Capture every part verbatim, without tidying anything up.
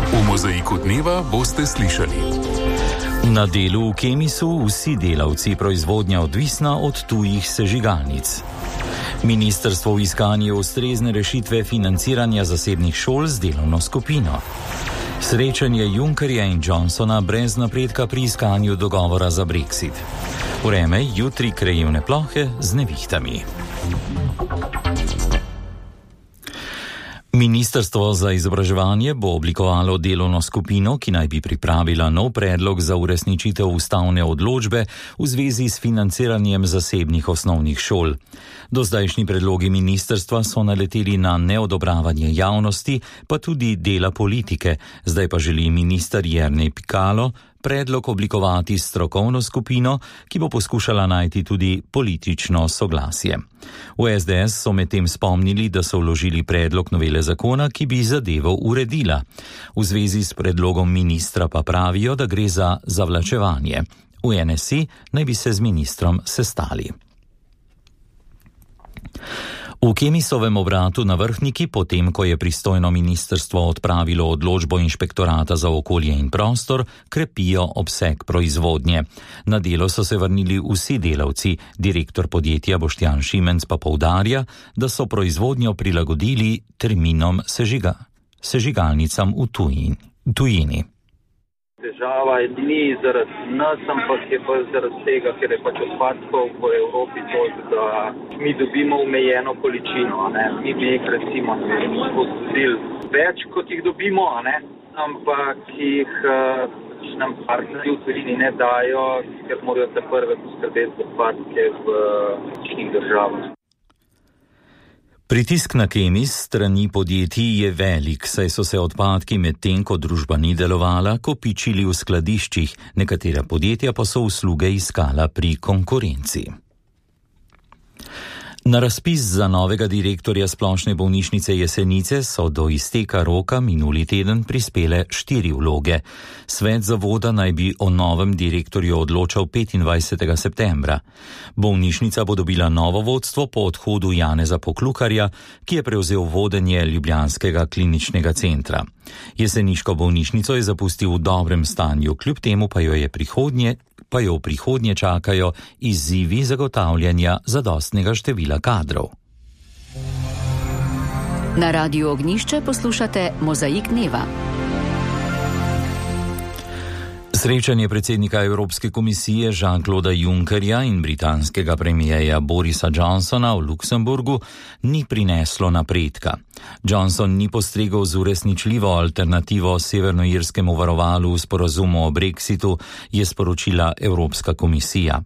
V Mozaiku dneva boste slišali. Na delu v Kemisu vsi delavci, proizvodnja odvisna od tujih sežigalnic. Ministrstvo v iskanju ustrezne rešitve financiranja zasebnih šol z delovno skupino. Srečanje Junckerja in Johnsona brez napredka pri iskanju dogovora za Brexit. Vreme jutri krajevne plohe z nevihtami. Ministrstvo za izobraževanje bo oblikovalo delovno skupino, ki naj bi pripravila nov predlog za uresničitev ustavne odločbe v zvezi s financiranjem zasebnih osnovnih šol. Do zdajšnji predlogi ministrstva so naleteli na neodobravanje javnosti, pa tudi dela politike. Zdaj pa želi minister Jernej Pikalo predlog oblikovati strokovno skupino, ki bo poskušala najti tudi politično soglasje. V es de es so medtem spomnili, da so vložili predlog novele zakona, ki bi zadevo uredila. V zvezi s predlogom ministra pa pravijo, da gre za zavlačevanje. V en es i naj bi se z ministrom sestali. V Kemisovem obratu na Vrhniki, potem ko je pristojno ministrstvo odpravilo odločbo inšpektorata za okolje in prostor, krepijo obseg proizvodnje. Na delo so se vrnili vsi delavci, direktor podjetja Boštjan Šimenc pa poudarja, da so proizvodnjo prilagodili terminom sežiga, sežigalnicam v tujini. tujini. Težava ni zaradi nas, ampak je pa zaradi tega, ker je pač odpadkov po Evropi to, da mi dobimo omejeno količino. Ne? Mi bi jih recimo spustili več, kot jih dobimo, ne? Ampak jih uh, nam partnerji v tujini ne dajo, ker morajo te prve poskrbeti odpadke v različnih državah. Pritisk na Kemis strani podjetij je velik, saj so se odpadki med tem, ko družba ni delovala, kopičili v skladiščih, nekatera podjetja pa so usluge iskala pri konkurenci. Na razpis za novega direktorja Splošne bolnišnice Jesenice so do izteka roka minuli teden prispele štiri vloge. Svet zavoda naj bi o novem direktorju odločal petindvajsetega septembra. Bolnišnica bo dobila novo vodstvo po odhodu Janeza Poklukarja, ki je prevzel vodenje ljubljanskega kliničnega centra. Jeseniško bolnišnico je zapustil v dobrem stanju, kljub temu pa jo je prihodnje pa jo v prihodnje čakajo izzivi zagotavljanja zadostnega števila kadrov. Na Radiu Ognjišče poslušate Mozaik dneva. Srečanje predsednika Evropske komisije Jean-Clauda Junckerja in britanskega premijeja Borisa Johnsona v Luksemburgu ni prineslo napredka. Johnson ni postregel z uresničljivo alternativo severnoirskemu varovalu v sporazumu o Brexitu, je sporočila Evropska komisija.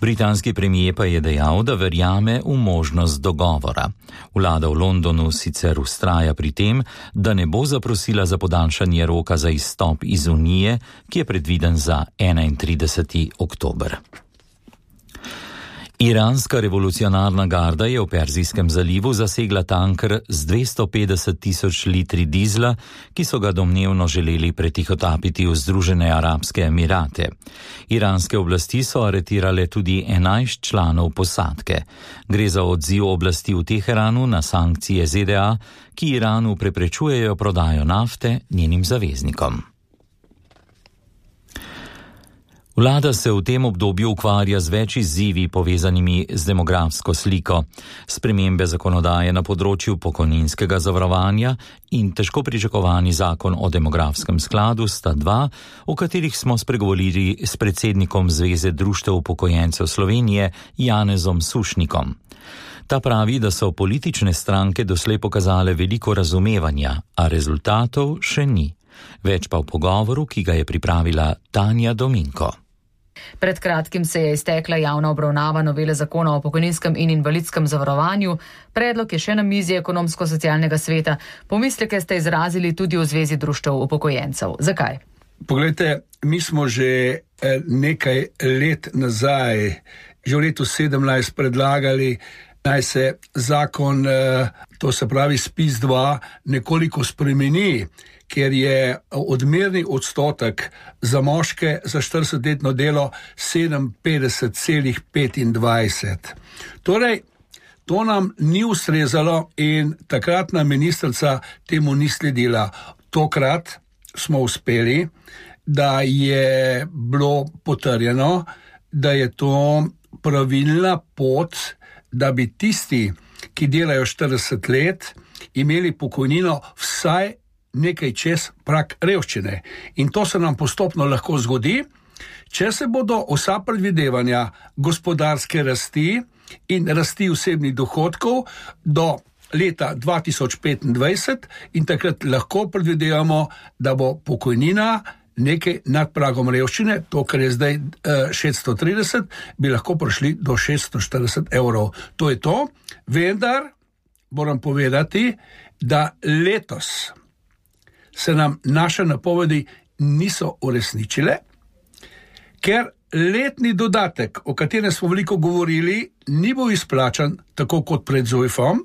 Britanski premijer pa je dejal, da verjame v možnost dogovora. Vlada v Londonu sicer vztraja pri tem, da ne bo zaprosila za podaljšanje roka za izstop iz Unije, ki je predviden za enaintrideseti oktober. Iranska revolucionarna garda je v Perzijskem zalivu zasegla tanker z dvesto petdeset tisoč litri dizla, ki so ga domnevno želeli pretihotapiti v Združene arabske emirate. Iranske oblasti so aretirale tudi enajst članov posadke. Gre za odziv oblasti v Teheranu na sankcije Z D A, ki Iranu preprečujejo prodajo nafte njenim zaveznikom. Vlada se v tem obdobju ukvarja z več izzivi povezanimi z demografsko sliko. Spremembe zakonodaje na področju pokojninskega zavarovanja in težko pričakovani zakon o demografskem skladu sta dva, o katerih smo spregovorili s predsednikom Zveze društev upokojencev Slovenije Janezom Sušnikom. Ta pravi, da so politične stranke doslej pokazale veliko razumevanja, a rezultatov še ni. Več pa v pogovoru, ki ga je pripravila Tanja Dominko. Pred kratkim se je iztekla javna obravnava novele zakona o pokojninskem in invalidskem zavarovanju. Predlog je še na mizi ekonomsko-socialnega sveta. Pomisleke ste izrazili tudi v Zvezi društev upokojencev. Zakaj? Poglejte, mi smo že nekaj let nazaj, že v letu sedemnajst predlagali, naj se zakon, to se pravi spis dva, nekoliko spremeni, ker je odmerni odstotek za moške za štiridesetletno delo sedeminpetdeset celih petindvajset. Torej, to nam ni ustrezalo in takratna ministrica temu ni sledila. Tokrat smo uspeli, da je bilo potrjeno, da je to pravilna pot, da bi tisti, ki delajo štirideset let, imeli pokojnino vsaj nekaj čez prag revščine. In to se nam postopno lahko zgodi, če se bodo vsa predvidevanja gospodarske rasti in rasti osebnih dohodkov do leta dva tisoč petindvajset in takrat lahko predvidevamo, da bo pokojnina nekaj nad pragom revščine, to, kar je zdaj šeststo trideset, bi lahko prišli do šeststo štirideset evrov. To je to, vendar moram povedati, da letos se nam naše napovedi niso uresničile, ker letni dodatek, o katerem smo veliko govorili, ni bil izplačan tako kot pred Zujfom.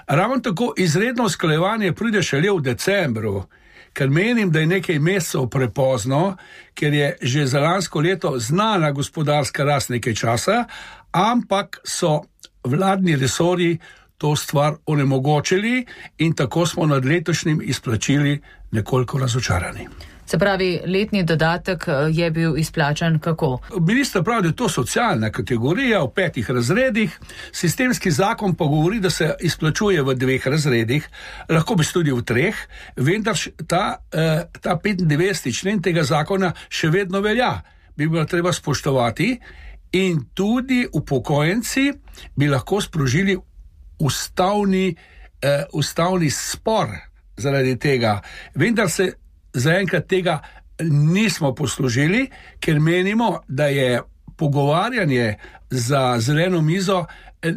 Ravno tako izredno usklajevanje pride šele v decembru, ker menim, da je nekaj mesecev prepozno, ker je že za lansko leto znana gospodarska rast nekaj časa, ampak so vladni resorji to stvar onemogočili in tako smo nad letošnjim izplačili nekoliko razočarani. Se pravi, letni dodatek je bil izplačan kako? Minister pravi, da je to socialna kategorija v petih razredih, sistemski zakon pa govori, da se izplačuje v dveh razredih, lahko bi tudi v treh, vendar ta, ta petindevetdeseti člen tega zakona še vedno velja, bi bilo treba spoštovati in tudi upokojenci bi lahko sprožili ustavni, eh, ustavni spor zaradi tega, vendar se zaenkrat tega nismo poslužili, ker menimo, da je pogovarjanje za zeleno mizo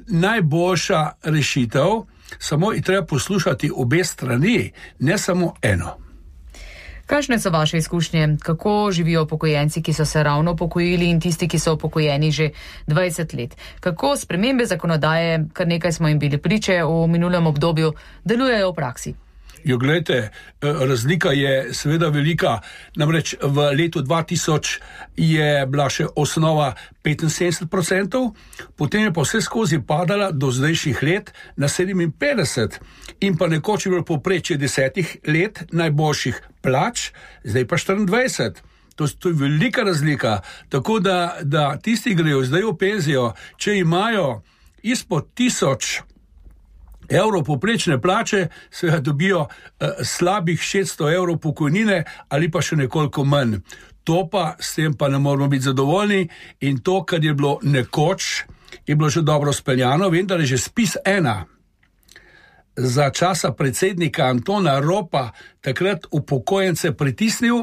najboljša rešitev, samo je treba poslušati obe strani, ne samo eno. Kakšne so vaše izkušnje? Kako živijo upokojenci, ki so se ravno upokojili in tisti, ki so upokojeni že dvajset let? Kako spremembe zakonodaje, kar nekaj smo jim bili priče v minulem obdobju, delujejo v praksi? Jo, gledajte, razlika je seveda velika, namreč v letu dva tisoč je bila še osnova petinsedemdeset procentov, potem je pa vse skozi padala do zdajšnjih let na sedeminpetdeset in pa nekoč je bilo povprečje desetih let najboljših plač, zdaj pa štiriindvajset. To, to je velika razlika, tako da, da tisti grejo zdaj v penzijo, če imajo izpod tisoč evrov poprečne plače, seveda dobijo eh, slabih šeststo evrov pokojnine ali pa še nekoliko manj. To pa, s tem pa ne moramo biti zadovoljni in to, kar je bilo nekoč, je bilo že dobro speljano, vendar je že spis ena za časa predsednika Antona Ropa takrat upokojence pritisnil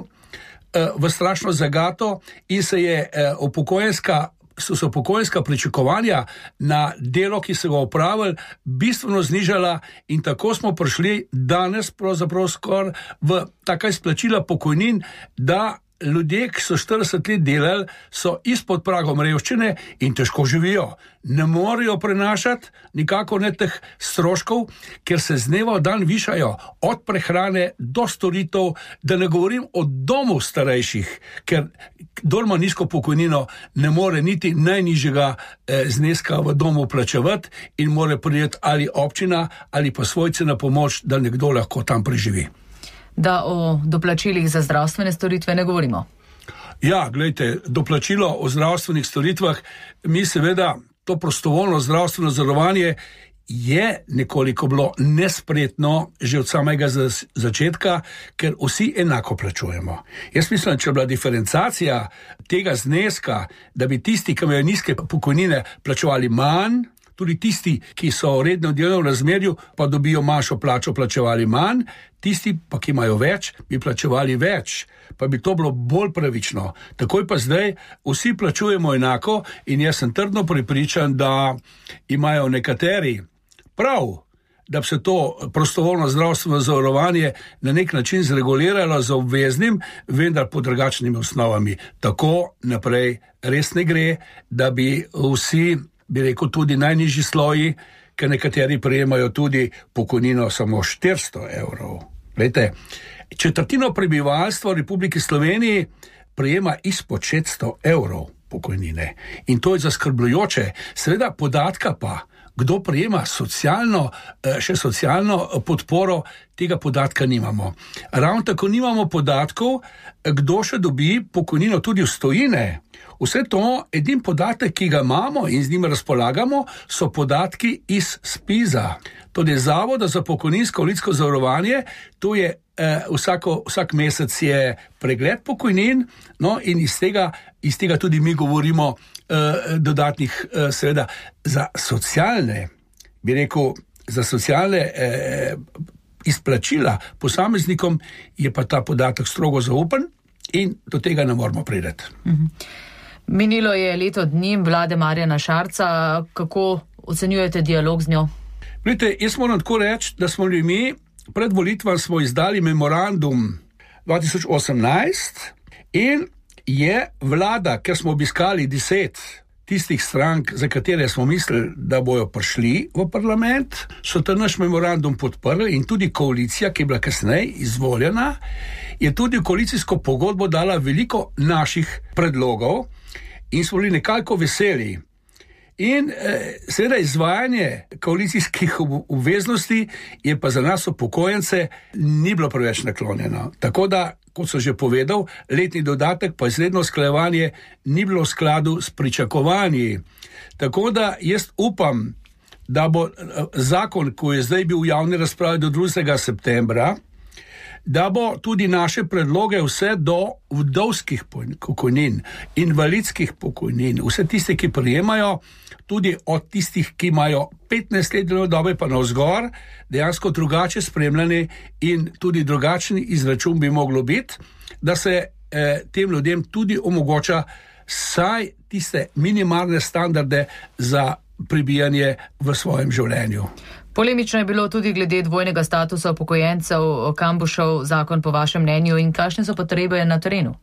eh, v strašno zagato in se je eh, upokojenska so se upokojenska pričakovanja na delo, ki so ga opravili, bistveno znižala in tako smo prišli danes pravzaprav skoraj v taka izplačila pokojnin, da ljudje, ki so štirideset let delali, so izpod pragom revščine in težko živijo. Ne morejo prenašati nikako ne teh stroškov, ker se z dneva v dan višajo od prehrane do storitev, da ne govorim o domu starejših, ker kdor ima nizko pokojnino, ne more niti najnižjega eh, zneska v domu plačevati in more priti ali občina ali pa svojci na pomoč, da nekdo lahko tam preživi. Da o doplačilih za zdravstvene storitve ne govorimo. Ja, gledajte, doplačilo o zdravstvenih storitvah, mi seveda to prostovoljno zdravstveno zavarovanje je nekoliko bilo nespretno že od samega začetka, ker vsi enako plačujemo. Jaz mislim, če je bila diferencacija tega zneska, da bi tisti, ki imajo nizke pokojnine, plačevali manj, tudi tisti, ki so v rednem delovnem razmerju, pa dobijo manjšo plačo, plačevali manj, tisti pa, ki imajo več, bi plačevali več, pa bi to bilo bolj pravično. Takoj pa zdaj vsi plačujemo enako in jaz sem trdno prepričan, da imajo nekateri prav, da bi se to prostovoljno zdravstveno zavarovanje na nek način zreguliralo z obveznim, vendar pod drugačnimi osnovami. Tako naprej res ne gre, da bi vsi, bi rekel, tudi najnižji sloji, ker nekateri prejemajo tudi pokojnino samo štiristo evrov. Glejte, četrtino prebivalstva v Republiki Sloveniji prejema izpod šeststo evrov pokojnine. In to je zaskrbljujoče. Seveda podatka pa kdo prejema socialno, še socialno podporo, tega podatka nimamo. Ravno tako nimamo podatkov, kdo še dobi pokojnino tudi v stojine. Vse to, edin podatek, ki ga imamo in z njim razpolagamo, so podatki iz SPIZ-a. Tudi Zavoda za pokojninsko invalidsko zavarovanje, to je eh, vsako, vsak mesec je pregled pokojnin, no in iz tega, iz tega tudi mi govorimo eh, dodatnih, eh, seveda, za socialne, bi rekel, za socialne eh, izplačila posameznikom je pa ta podatek strogo zaupen in do tega ne moramo priti. Mhm. Minilo je leto dni vlade Marjana Šarca, kako ocenjujete dialog z njo? Vidite, jaz moram tako reči, da smo mi pred volitvami smo izdali memorandum dva tisoč osemnajst in je vlada, ker smo obiskali deset tistih strank, za katere smo mislili, da bojo prišli v parlament, so ta naš memorandum podprli in tudi koalicija, ki je bila kasneje izvoljena, je tudi v koalicijsko pogodbo dala veliko naših predlogov in smo bili nekako veseli. In eh, seveda izvajanje koalicijskih obveznosti je pa za nas upokojence ni bilo preveč naklonjeno. Tako da, kot so že povedal, letni dodatek pa izredno usklajevanje ni bilo v skladu s pričakovanji. Tako da jaz upam, da bo zakon, ko je zdaj bil v javni razpravi do drugega septembra, da bo tudi naše predloge vse do vdovskih pokojnin, invalidskih pokojnin, vse tiste, ki prejemajo, tudi od tistih, ki imajo petnajst let delovne dobe pa navzgor, dejansko drugače spremljani in tudi drugačen izračun bi moglo biti, da se eh, tem ljudem tudi omogoča saj tiste minimalne standarde za pribijanje v svojem življenju. Polemično je bilo tudi glede dvojnega statusa upokojencev, kam bo šel zakon po vašem mnenju in kakšne so potrebe na terenu?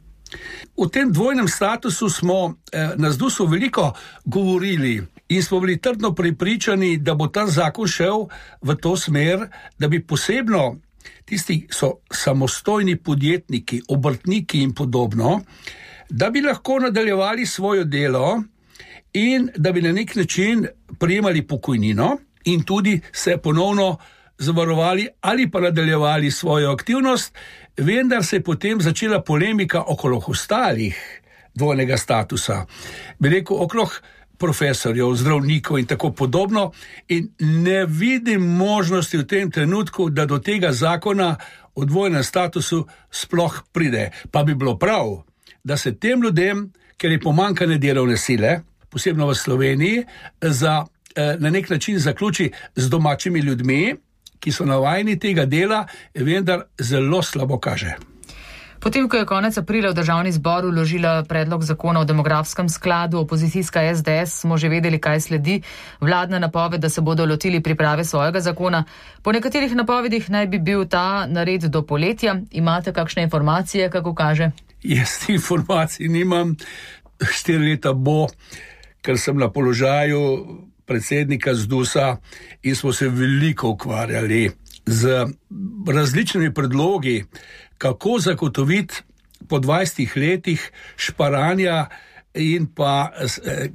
V tem dvojnem statusu smo eh, na ZDUS-u veliko govorili in smo bili trdno prepričani, da bo ta zakon šel v to smer, da bi posebno tisti, ki so samostojni podjetniki, obrtniki in podobno, da bi lahko nadaljevali svoje delo in da bi na nek način prejemali pokojnino in tudi se ponovno zavarovali ali pa nadaljevali svojo aktivnost, vendar se je potem začela polemika okrog ostalih dvojnega statusa. Bi rekel, okrog profesorjev, zdravnikov in tako podobno in ne vidim možnosti v tem trenutku, da do tega zakona o dvojnem statusu sploh pride. Pa bi bilo prav, da se tem ljudem, ker je pomanjkanje delovne sile, posebno v Sloveniji, za, na nek način zaključi z domačimi ljudmi, ki so navajeni tega dela, vendar zelo slabo kaže. Potem, ko je konec aprila v državni zbor vložila predlog zakona o demografskem skladu, opozicijska S D S, smo že vedeli, kaj sledi. Vladna napoved, da se bodo lotili priprave svojega zakona. Po nekaterih napovedih naj bi bil ta nared do poletja. Imate kakšne informacije, kako kaže? Jaz informacij nimam. Štiri leta bo, ker sem na položaju predsednika ZDUS-a in smo se veliko ukvarjali z različnimi predlogi, kako zagotoviti po dvajsetih letih šparanja in pa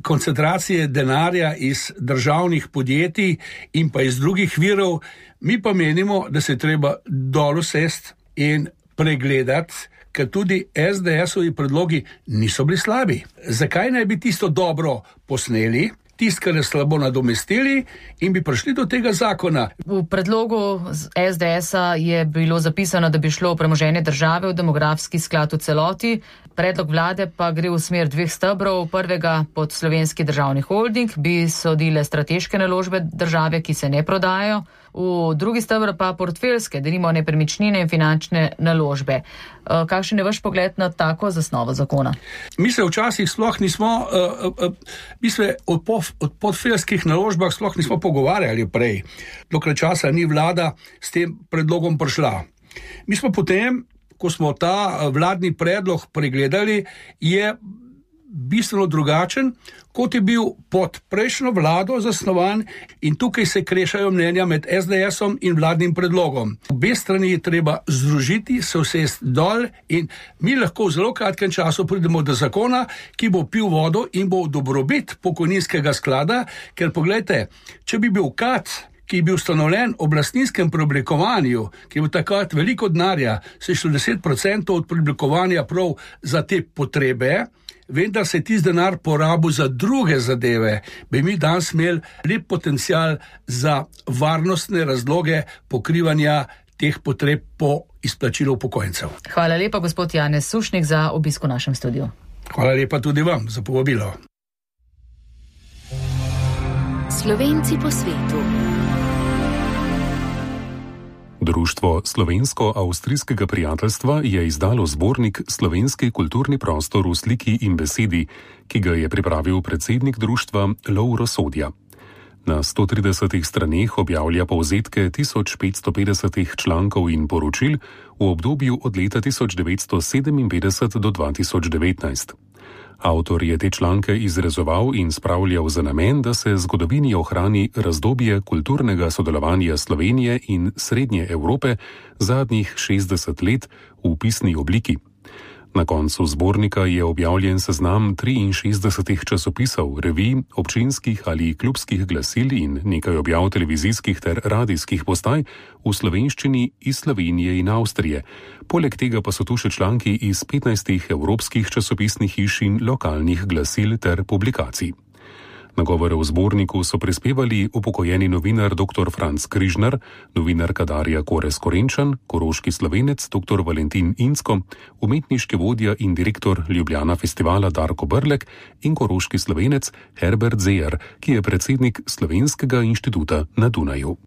koncentracije denarja iz državnih podjetij in pa iz drugih virov. Mi pa menimo, da se treba dol usesti in pregledati, ker tudi S D S-ovi predlogi niso bili slabi. Zakaj naj bi tisto dobro posneli, tisto, kar je slabo nadomestili in bi prišli do tega zakona? V predlogu S D S-a je bilo zapisano, da bi šlo premoženje države v demografski sklad v celoti. Predlog vlade pa gre v smer dveh stebrov. Prvega pod Slovenski državni holding bi sodile strateške naložbe države, ki se ne prodajajo. V drugi stebr pa portfeljske, denimo nepremičnine in finančne naložbe. Kakšen je vaš pogled na tako zasnovo zakona? Mi se včasih sploh nismo, uh, uh, mi se od, pof, od portfeljskih naložbah sploh nismo pogovarjali prej, dokler časa ni vlada s tem predlogom prišla. Mi smo potem, ko smo ta vladni predlog pregledali, je bistveno drugačen, kot je bil pod prejšnjo vlado zasnovan, in tukaj se krešajo mnenja med es de esom in vladnim predlogom. Obe strani je treba združiti, se usesti dol in mi lahko v zelo kratkem času pridemo do zakona, ki bo pil vodo in bo dobrobit pokojninskega sklada, ker poglejte, če bi bil K A T, ki je bil ustanovljen ob lastninskem preoblikovanju, ki je bil takrat veliko denarja, se je šlo deset procentov od preoblikovanja prav za te potrebe, vendar se je tisti denar porabil za druge zadeve, bi mi danes imeli lep potencial za varnostne razloge pokrivanja teh potreb po izplačilu upokojencev. Hvala lepa, gospod Janez Sušnik, za obisk v našem studiu. Hvala lepa tudi vam za povabilo. Slovenci po svetu. Društvo Slovensko-avstrijskega prijateljstva je izdalo zbornik Slovenski kulturni prostor v sliki in besedi, ki ga je pripravil predsednik društva Lovro Sodja. Na sto tridesetih straneh objavlja povzetke tisoč petsto petdeset člankov in poročil v obdobju od leta tisoč devetsto sedeminpetdeset do dva tisoč devetnajst. Avtor je te članke izrezoval in spravljal za namen, da se zgodovini ohrani razdobje kulturnega sodelovanja Slovenije in Srednje Evrope zadnjih šestdeset let v pisni obliki. Na koncu zbornika je objavljen seznam triinšestdesetih časopisov, revij, občinskih ali klubskih glasil in nekaj objav televizijskih ter radijskih postaj v slovenščini iz Slovenije in Avstrije. Poleg tega pa so tu še članki iz petnajstih evropskih časopisnih hiš in lokalnih glasil ter publikacij. Nagovore v zborniku so prispevali upokojeni novinar dr. Franc Križnar, novinarka Darja Korez Korenčan, koroški Slovenec dr. Valentin Incko, umetniški vodja in direktor Ljubljana festivala Darko Brlek in koroški Slovenec Herbert Zejer, ki je predsednik Slovenskega inštituta na Dunaju.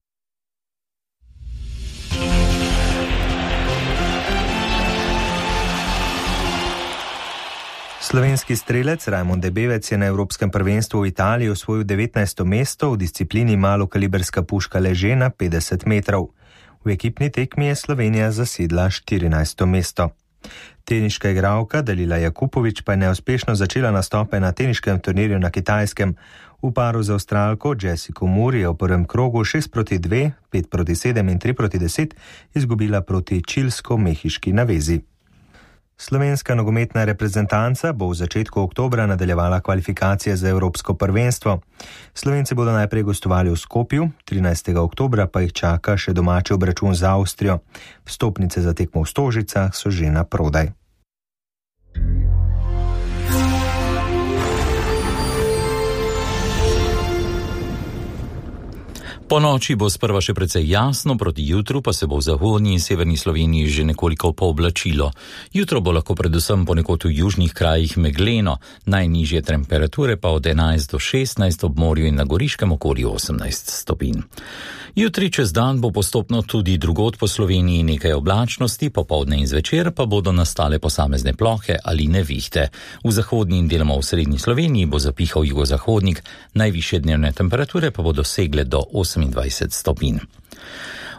Slovenski strelec Rajmond Debevec je na Evropskem prvenstvu v Italiji osvojil devetnajsto mesto v disciplini malokaliberska puška leže na petdeset metrov. V ekipni tekmi je Slovenija zasedla štirinajsto mesto. Teniška igralka Dalila Jakupović pa je neuspešno začela nastope na teniškem turnirju na Kitajskem. V paru z Avstralko Jessico Moore je v prvem krogu šest proti dve, pet proti sedem in tri proti deset izgubila proti čilsko-mehiški navezi. Slovenska nogometna reprezentanca bo v začetku oktobra nadaljevala kvalifikacije za Evropsko prvenstvo. Slovenci bodo najprej gostovali v Skopju, trinajstega oktobra pa jih čaka še domači obračun z Avstrijo. Vstopnice za tekmo v Stožicah so že na prodaj. Po noči bo sprva še precej jasno, proti jutru pa se bo v zahodnji in severni Sloveniji že nekoliko pooblačilo. Jutro bo lahko predvsem ponekod v južnih krajih megleno, najnižje temperature pa od enajst do šestnajst, ob morju in na Goriškem okoli osemnajst stopinj. Jutri čez dan bo postopno tudi drugod po Sloveniji nekaj oblačnosti, popoldne in zvečer pa bodo nastale posamezne plohe ali nevihte. V zahodni in deloma v srednji Sloveniji bo zapihal jugozahodnik, najvišje dnevne temperature pa bodo segle do osemindvajset stopinj.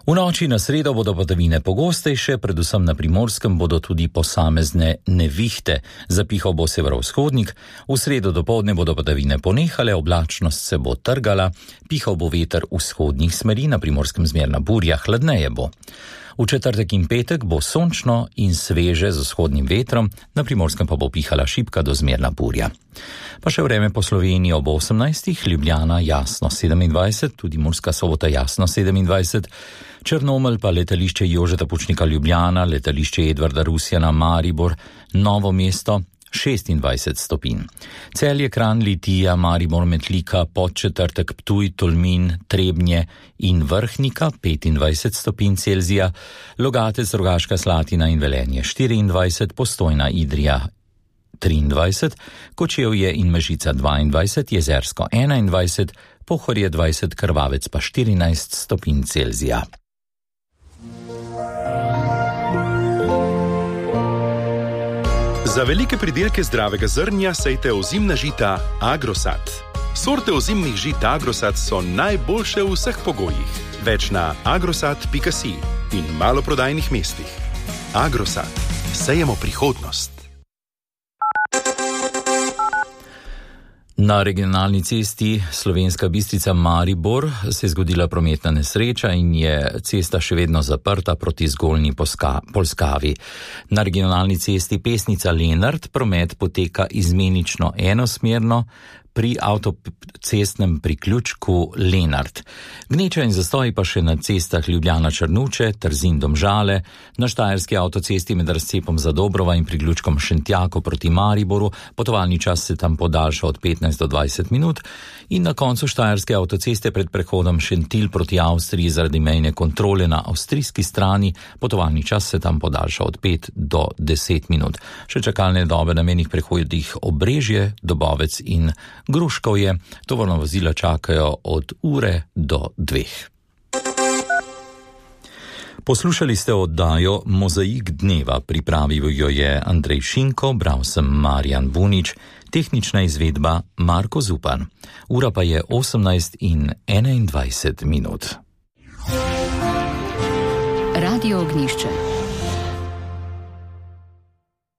V noči na sredo bodo padavine pogostejše, predvsem na Primorskem bodo tudi posamezne nevihte. Zapihal bo severovzhodnik, v sredo dopoldne bodo padavine ponehale, oblačnost se bo trgala, pihal bo veter vzhodnih smeri, na Primorskem zmerna burja, hladneje bo. V četrtek in petek bo sončno in sveže z vzhodnim vetrom, na Primorskem pa bo pihala šibka do zmerna burja. Pa še vreme po Sloveniji ob osemnajstih, Ljubljana jasno sedemindvajset, tudi Murska Sobota jasno sedemindvajset, Črnomelj pa letališče Jožeta Pučnika Ljubljana, letališče Edvarda Rusjana Maribor, Novo mesto šestindvajset stopinj. Celje, Kranj, Litija, Maribor, Metlika, Podčetrtek, Ptuj, Tolmin, Trebnje in Vrhnika petindvajset stopinj Celzija, Logatec, Rogaška Slatina in Velenje štiriindvajset, Postojna, Idrija triindvajset, Kočevje in Mežica dvaindvajset, Jezersko enaindvajset, Pohorje dvajset, Krvavec pa štirinajst stopinj Celzija. Za velike pridelke zdravega zrnja sejte ozimna žita Agrosat. Sorte ozimnih žit Agrosat so najboljše v vseh pogojih. Več na agrosat pika si in maloprodajnih mestih. Agrosat. Sejemo prihodnost. Na regionalni cesti Slovenska Bistrica Maribor se je zgodila prometna nesreča in je cesta še vedno zaprta proti Zgornji Polskavi. Na regionalni cesti Pesnica Lenart promet poteka izmenično enosmerno pri avtocestnem priključku Lenart. Gneča in zastoji pa še na cestah Ljubljana Črnuče, Trzin Domžale, na štajerski avtocesti med razcepom Zadobrova in priključkom Šentjako proti Mariboru, potovalni čas se tam podaljša od petnajst do dvajset minut in na koncu štajerske avtoceste pred prehodom Šentilj proti Avstriji zaradi mejne kontrole na avstrijski strani, potovalni čas se tam podaljša od pet do deset minut. Še čakalne dobe na mejnih prehodih Obrežje, Dobovec in Gruškovje, tovorna vozila čakajo od ure do dveh. Poslušali ste oddajo Mozaik dneva, pripravil jo je Andrej Šinko, bral sem Marjan Bunič, tehnična izvedba Marko Zupan. Ura pa je osemnajst in enaindvajset minut. Radio Ognjišče.